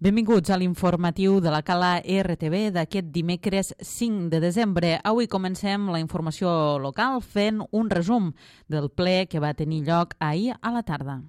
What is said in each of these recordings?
Benvinguts a l'informatiu de la Cala RTV d'aquest dimecres 5 de desembre. Avui comencem la informació local fent un resum del ple que va tenir lloc ahir a la tarda.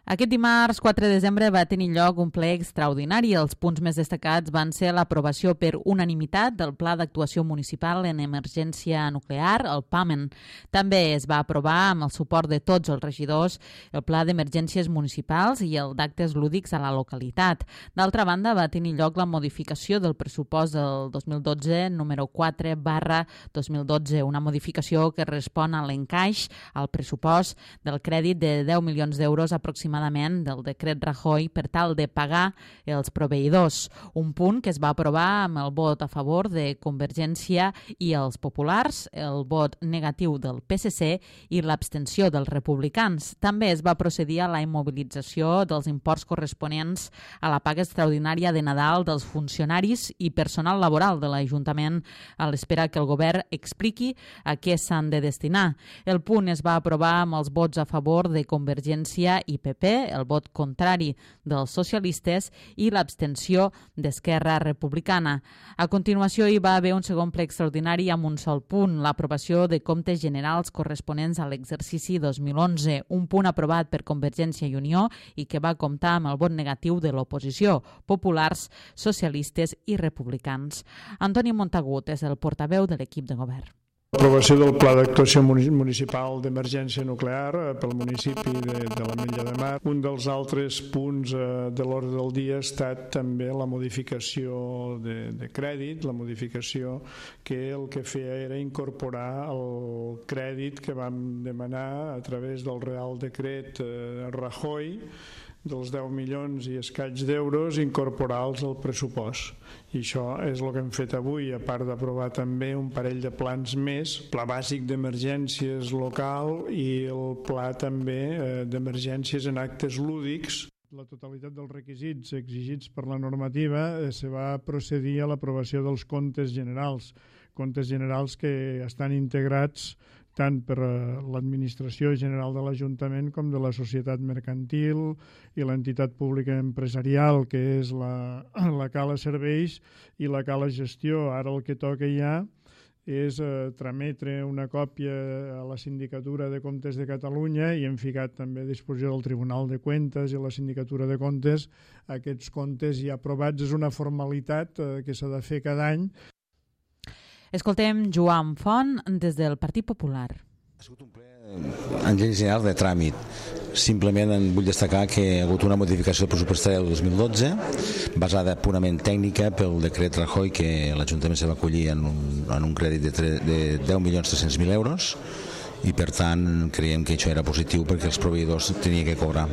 Aquest dimarts 4 de desembre va tenir lloc un ple extraordinari. Els punts més destacats van ser l'aprovació per unanimitat del Pla d'Actuació Municipal en Emergència Nuclear, el PAMEN. També es va aprovar amb el suport de tots els regidors el Pla d'Emergències Municipals i el d'actes lúdics a la localitat. D'altra banda, va tenir lloc la modificació del pressupost del 2012, número 4/2012, una modificació que respon a l'encaix al pressupost del crèdit de 10 milions d'euros aproximadament del decret Rajoy per tal de pagar els proveïdors. Un punt que es va aprovar amb el vot a favor de Convergència i els populars, el vot negatiu del PSC i l'abstenció dels republicans. També es va procedir a la immobilització dels imports corresponents a la paga extraordinària de Nadal dels funcionaris i personal laboral de l'Ajuntament a l'espera que el govern expliqui a què s'han de destinar. El punt es va aprovar amb els vots a favor de Convergència i PP, el vot contrari dels socialistes i l'abstenció d'Esquerra Republicana. A continuació hi va haver un segon ple extraordinari amb un sol punt, l'aprovació de comptes generals corresponents a l'exercici 2011, un punt aprovat per Convergència i Unió i que va comptar amb el vot negatiu de l'oposició, populars, socialistes i republicans. Antoni Montagut és el portaveu de l'equip de govern. L'aprovació del Pla d'Actuació Municipal d'Emergència Nuclear pel municipi de l'Ametlla de Mar. Un dels altres punts de l'ordre del dia ha estat també la modificació de crèdit, la modificació que el que feia era incorporar el crèdit que vam demanar a través del Real Decret Rajoy dels 10 milions i escaig d'euros, incorporar-los al pressupost. I això és el que hem fet avui, a part d'aprovar també un parell de plans més, pla bàsic d'emergències local i el pla també d'emergències en actes lúdics. La totalitat dels requisits exigits per la normativa se va procedir a l'aprovació dels comptes generals que estan integrats tant per l'Administració General de l'Ajuntament com de la Societat Mercantil i l'entitat pública empresarial, que és la Cala Serveis i la Cala Gestió. Ara el que toca ja és trametre una còpia a la Sindicatura de Comptes de Catalunya i hem ficat també a disposició del Tribunal de Cuentas i la Sindicatura de Comptes aquests comptes ja aprovats. És una formalitat que s'ha de fer cada any. Escoltem Joan Font des del Partit Popular. Ha sigut un ple en general de tràmit. Simplement vull destacar que hi ha hagut una modificació pressupostària del 2012 basada purament tècnica pel decret Rajoy, que l'Ajuntament se va acollir en un crèdit de 10.300.000 euros i per tant creiem que això era positiu perquè els proveïdors tenien que cobrar.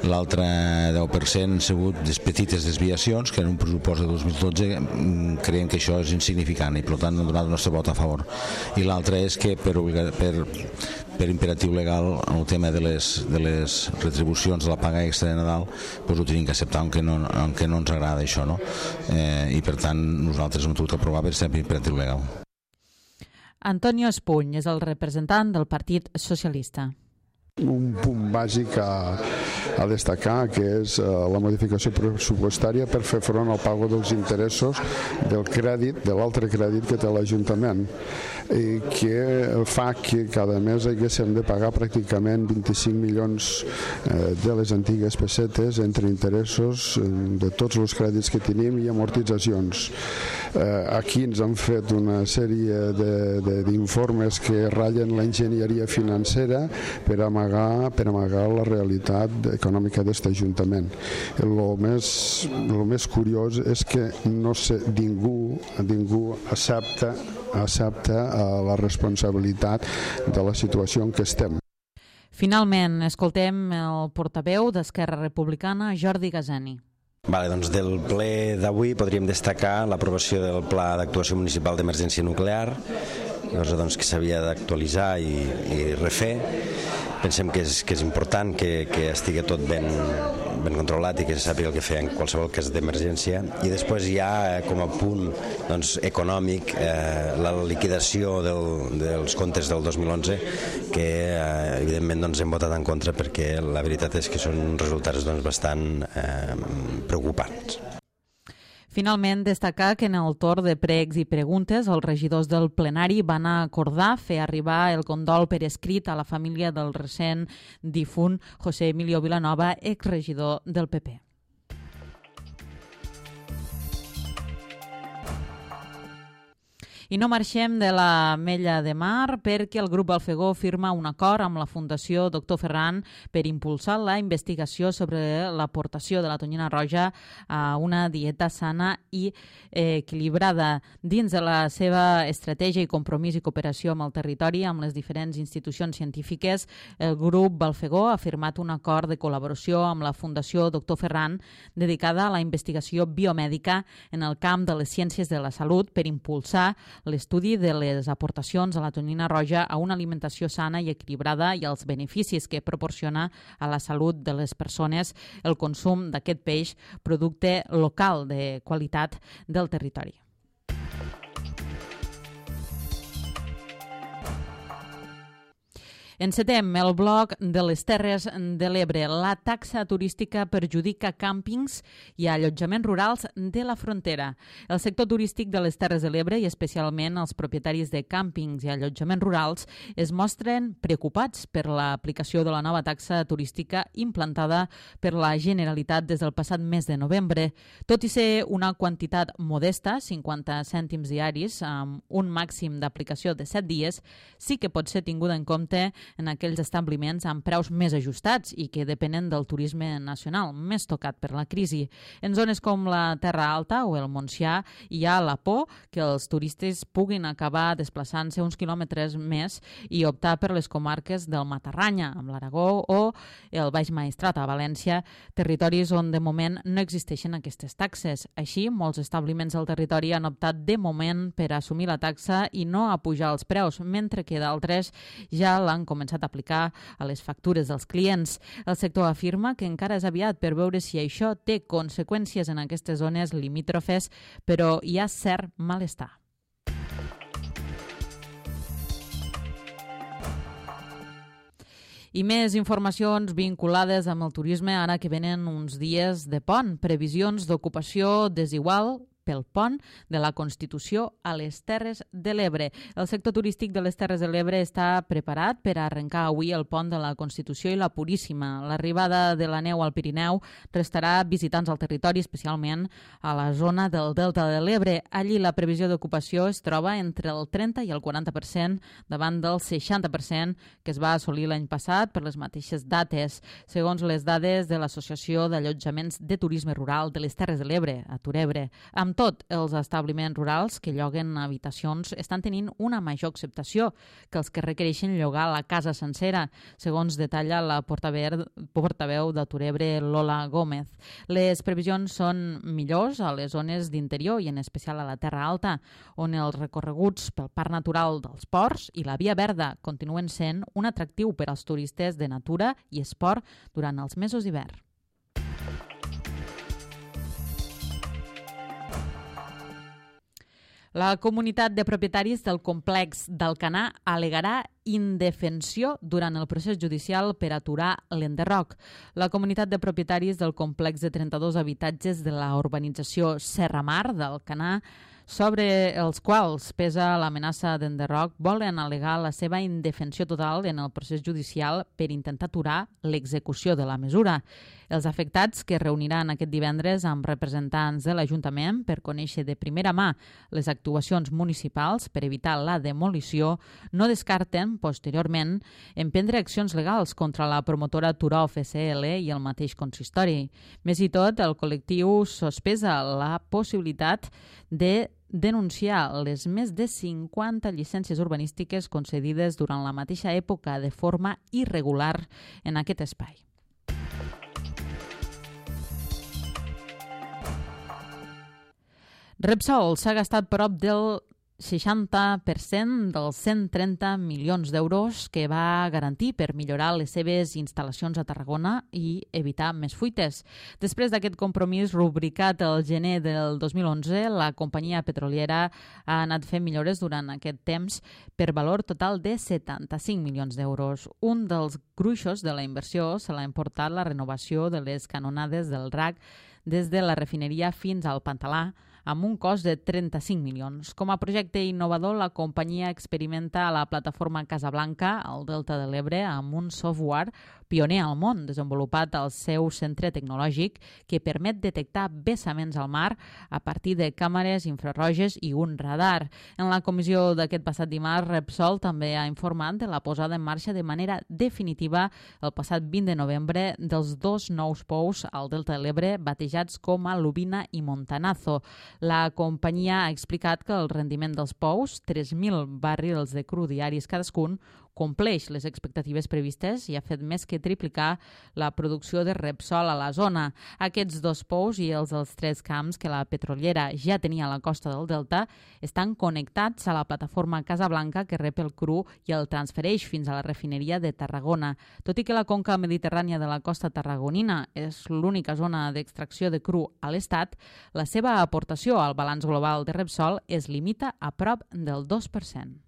L'altre 10% han sigut petites desviacions que en un pressupost de 2012 creiem que això és insignificant i per tant hem donat el nostre vot a favor. I l'altre és que per imperatiu legal el tema de les retribucions de la paga extra de Nadal ho tenim que acceptar aunque no ens agrada això, no? I per tant nosaltres hem hagut d'aprovar per ser imperatiu legal. Antonio Espuny és el representant del Partit Socialista. Un punt bàsic a destacar, que és la modificació pressupostària per fer front al pago dels interessos del crèdit, de l'altre crèdit que té l'Ajuntament, i que fa que cada mes haguéssim de pagar pràcticament 25 milions de les antigues pessetes entre interessos de tots els crèdits que tenim i amortitzacions. Aquí ens han fet una sèrie d'informes que ratllen l'enginyeria financera per amagar la realitat econòmica d'aquest Ajuntament. El més curiós és que no sé, ningú accepta la responsabilitat de la situació en què estem. Finalment, escoltem el portaveu d'Esquerra Republicana, Jordi Gazani. Doncs del ple d'avui podríem destacar l'aprovació del Pla d'Actuació Municipal d'Emergència Nuclear, cosa que s'havia d'actualitzar i refer. Pensem que és important que estigui tot ben controlat i que se sàpiga el que fer en qualsevol cas d'emergència. I després hi ha com a punt econòmic la liquidació dels comptes del 2011, que evidentment hem votat en contra perquè la veritat és que són resultats bastant preocupants. Finalment, destacar que en el torn de pregs i preguntes els regidors del plenari van acordar fer arribar el condol per escrit a la família del recent difunt José Emilio Vilanova, exregidor del PP. I no marxem de l'Ametlla de Mar perquè el grup Alfegó firma un acord amb la Fundació Dr. Ferran per impulsar la investigació sobre l'aportació de la tonyina roja a una dieta sana i equilibrada. Dins de la seva estratègia i compromís i cooperació amb el territori, amb les diferents institucions científiques, el grup Alfegó ha firmat un acord de col·laboració amb la Fundació Dr. Ferran dedicada a la investigació biomèdica en el camp de les ciències de la salut per impulsar l'estudi de les aportacions a la tonyina roja a una alimentació sana i equilibrada i els beneficis que proporciona a la salut de les persones el consum d'aquest peix, producte local de qualitat del territori. Encetem el bloc de les Terres de l'Ebre. La taxa turística perjudica càmpings i allotjaments rurals de la frontera. El sector turístic de les Terres de l'Ebre i especialment els propietaris de càmpings i allotjaments rurals es mostren preocupats per l'aplicació de la nova taxa turística implantada per la Generalitat des del passat mes de novembre. Tot i ser una quantitat modesta, 50 cèntims diaris, amb un màxim d'aplicació de 7 dies, sí que pot ser tinguda en compte en aquells establiments amb preus més ajustats i que depenen del turisme nacional, més tocat per la crisi. En zones com la Terra Alta o el Montsià hi ha la por que els turistes puguin acabar desplaçant-se uns quilòmetres més i optar per les comarques del Matarranya, amb l'Aragó, o el Baix Maestrat, a València, territoris on de moment no existeixen aquestes taxes. Així, molts establiments del territori han optat de moment per assumir la taxa i no a pujar els preus, mentre que d'altres ja l'han començat a aplicar a les factures dels clients. El sector afirma que encara és aviat per veure si això té conseqüències en aquestes zones limítrofes, però hi ha cert malestar. I més informacions vinculades amb el turisme ara que venen uns dies de pont. Previsions d'ocupació desigual pel pont de la Constitució a les Terres de l'Ebre. El sector turístic de les Terres de l'Ebre està preparat per arrencar avui el pont de la Constitució i la Puríssima. L'arribada de la neu al Pirineu restarà visitants al territori, especialment a la zona del Delta de l'Ebre. Allí la previsió d'ocupació es troba entre el 30 i el 40% davant del 60% que es va assolir l'any passat per les mateixes dates, segons les dades de l'Associació d'Allotjaments de Turisme Rural de les Terres de l'Ebre, a Turebre. Amb tot, els establiments rurals que lloguen habitacions estan tenint una major acceptació que els que requereixen llogar la casa sencera, segons detalla la portaveu de Turebre, Lola Gómez. Les previsions són millors a les zones d'interior i en especial a la Terra Alta, on els recorreguts pel Parc Natural dels Ports i la Via Verda continuen sent un atractiu per als turistes de natura i esport durant els mesos d'hivern. La comunitat de propietaris del complex d'Alcanar al·legarà indefensió durant el procés judicial per aturar l'enderroc. La comunitat de propietaris del complex de 32 habitatges de la urbanització Serra Mar d'Alcanar, sobre els quals pesa l'amenaça d'enderroc, volen al·legar la seva indefensió total en el procés judicial per intentar aturar l'execució de la mesura. Els afectats, que es reuniran aquest divendres amb representants de l'Ajuntament per conèixer de primera mà les actuacions municipals per evitar la demolició, no descarten, posteriorment, emprendre accions legals contra la promotora Turó FCL i el mateix consistori. Més i tot, el col·lectiu sospesa la possibilitat de denunciar les més de 50 llicències urbanístiques concedides durant la mateixa època de forma irregular en aquest espai. Repsol s'ha gastat prop del 60% dels 130 milions d'euros que va garantir per millorar les seves instal·lacions a Tarragona i evitar més fuites. Després d'aquest compromís rubricat el gener del 2011, la companyia petroliera ha anat fent millores durant aquest temps per valor total de 75 milions d'euros. Un dels gruixos de la inversió se l'ha emportat la renovació de les canonades del RAC des de la refineria fins al Pantalà, amb un cost de 35 milions. Com a projecte innovador, la companyia experimenta a la plataforma Casablanca, al Delta de l'Ebre, amb un software pioner al món, desenvolupat al seu centre tecnològic, que permet detectar vessaments al mar a partir de càmeres infraroges i un radar. En la comissió d'aquest passat dimarts, Repsol també ha informat de la posada en marxa de manera definitiva el passat 20 de novembre dels 2 nous pous al Delta de l'Ebre, batejats com a Lubina i Montanazo. La companyia ha explicat que el rendiment dels pous, 3.000 barrils de cru diaris cadascun, compleix les expectatives previstes i ha fet més que triplicar la producció de Repsol a la zona. Aquests 2 pous i els dels 3 camps que la petroliera ja tenia a la costa del Delta estan connectats a la plataforma Casablanca que rep el cru i el transfereix fins a la refineria de Tarragona. Tot i que la conca mediterrània de la costa tarragonina és l'única zona d'extracció de cru a l'Estat, la seva aportació al balanç global de Repsol es limita a prop del 2%.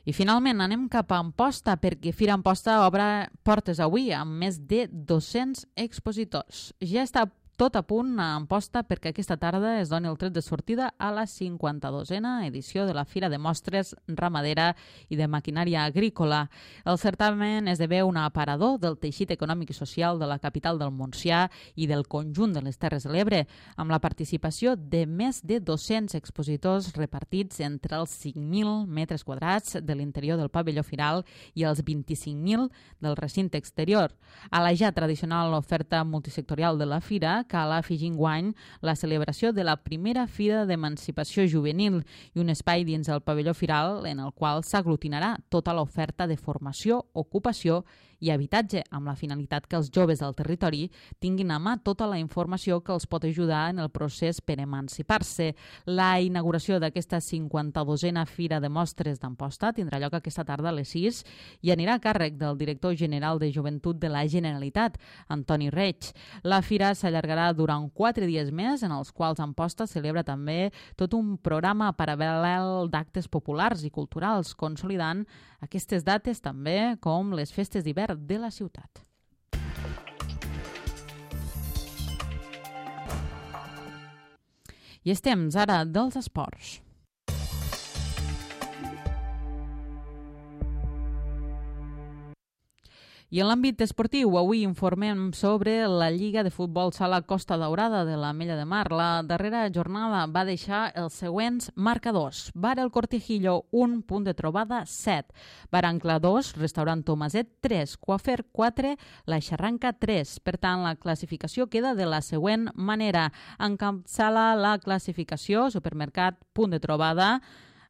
I finalment anem cap a Amposta, perquè Fira Amposta obre portes avui amb més de 200 expositors. Ja està tot a punt a Amposta perquè aquesta tarda es doni el tret de sortida a la 52a edició de la Fira de Mostres Ramadera i de Maquinària Agrícola. El certamen esdevé un aparador del teixit econòmic i social de la capital del Montsià i del conjunt de les Terres de l'Ebre, amb la participació de més de 200 expositors repartits entre els 5.000 metres quadrats de l'interior del pavelló firal i els 25.000 del recinte exterior. A la ja tradicional oferta multisectorial de la Fira, cal afegir enguany la celebració de la primera Fira d'Emancipació Juvenil i un espai dins el pavelló firal en el qual s'aglutinarà tota l'oferta de formació, ocupació i habitatge, amb la finalitat que els joves del territori tinguin a mà tota la informació que els pot ajudar en el procés per emancipar-se. La inauguració d'aquesta 52a Fira de Mostres d'Amposta tindrà lloc aquesta tarda a les 6 i anirà a càrrec del director general de Joventut de la Generalitat, Antoni Reig. La fira s'allargarà durant 4 dies més, en els quals Amposta celebra també tot un programa paral·lel d'actes populars i culturals, consolidant aquestes dates també com les festes d'hivern de la ciutat. I és temps ara dels esports. I en l'àmbit esportiu, avui informem sobre la Lliga de Futbol Sala Costa Daurada de l'Ametlla de Mar. La darrera jornada va deixar els següents marcadors. Bar El Cortijillo, 1 punt de trobada, 7. Bar Ancla 2, Restaurant Tomaset, 3. Coafer, 4. La Xarranca, 3. Per tant, la classificació queda de la següent manera. Encapçala la classificació, Supermercat, punt de trobada,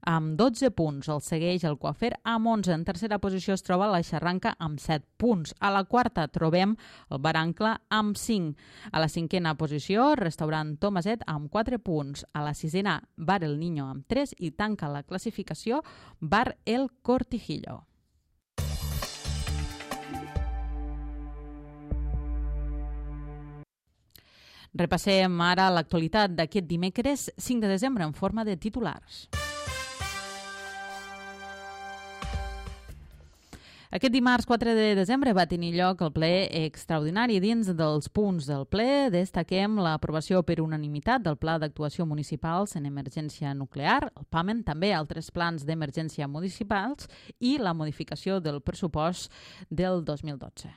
amb 12 punts. El segueix el Coafer amb 11. En tercera posició es troba la Xarranca amb 7 punts. A la quarta trobem el Bar Ancla amb 5. A la cinquena posició, Restaurant Tomaset amb 4 punts. A la sisena, Bar El Niño amb 3 i tanca la classificació Bar El Cortijillo. Repassem ara l'actualitat d'aquest dimecres 5 de desembre en forma de titulars. Aquest dimarts 4 de desembre va tenir lloc el ple extraordinari. Dins dels punts del ple destaquem l'aprovació per unanimitat del Pla d'Actuació Municipals en Emergència Nuclear, el PAMEN, també altres plans d'emergència municipals i la modificació del pressupost del 2012.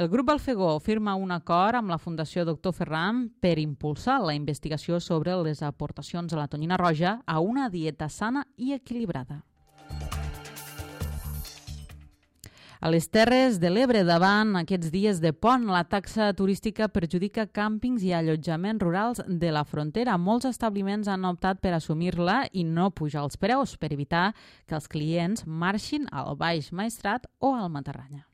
El grup Alfegó firma un acord amb la Fundació Dr. Ferran per impulsar la investigació sobre les aportacions a la tonyina roja a una dieta sana i equilibrada. A les Terres de l'Ebre, davant aquests dies de pont, la taxa turística perjudica càmpings i allotjaments rurals de la frontera. Molts establiments han optat per assumir-la i no pujar els preus per evitar que els clients marxin al Baix Maestrat o al Matarranya.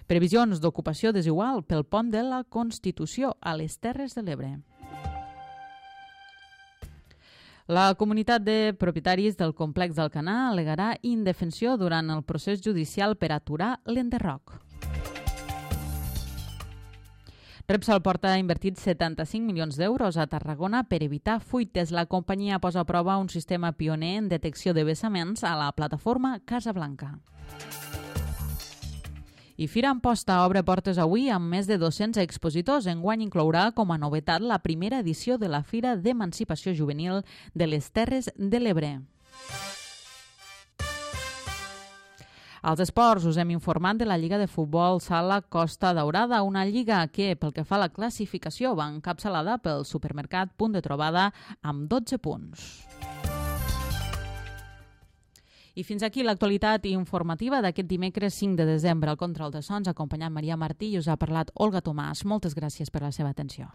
Previsions d'ocupació desigual pel pont de la Constitució a les Terres de l'Ebre. La comunitat de propietaris del complex d'Alcanar al·legarà indefensió durant el procés judicial per aturar l'enderroc. Repsol porta invertit 75 milions d'euros a Tarragona per evitar fuites. La companyia posa a prova un sistema pioner en detecció de vessaments a la plataforma Casablanca. I Fira Amposta obre portes avui amb més de 200 expositors. Enguany inclourà com a novetat la primera edició de la Fira d'Emancipació Juvenil de les Terres de l'Ebre. Als esports us hem informat de la Lliga de Futbol Sala Costa Daurada, una lliga que, pel que fa a la classificació, va encapçalada pel supermercat Punt de Trobada amb 12 punts. I fins aquí l'actualitat informativa d'aquest dimecres 5 de desembre. Al control de sons ha acompanyat Maria Martí i us ha parlat Olga Tomàs. Moltes gràcies per la seva atenció.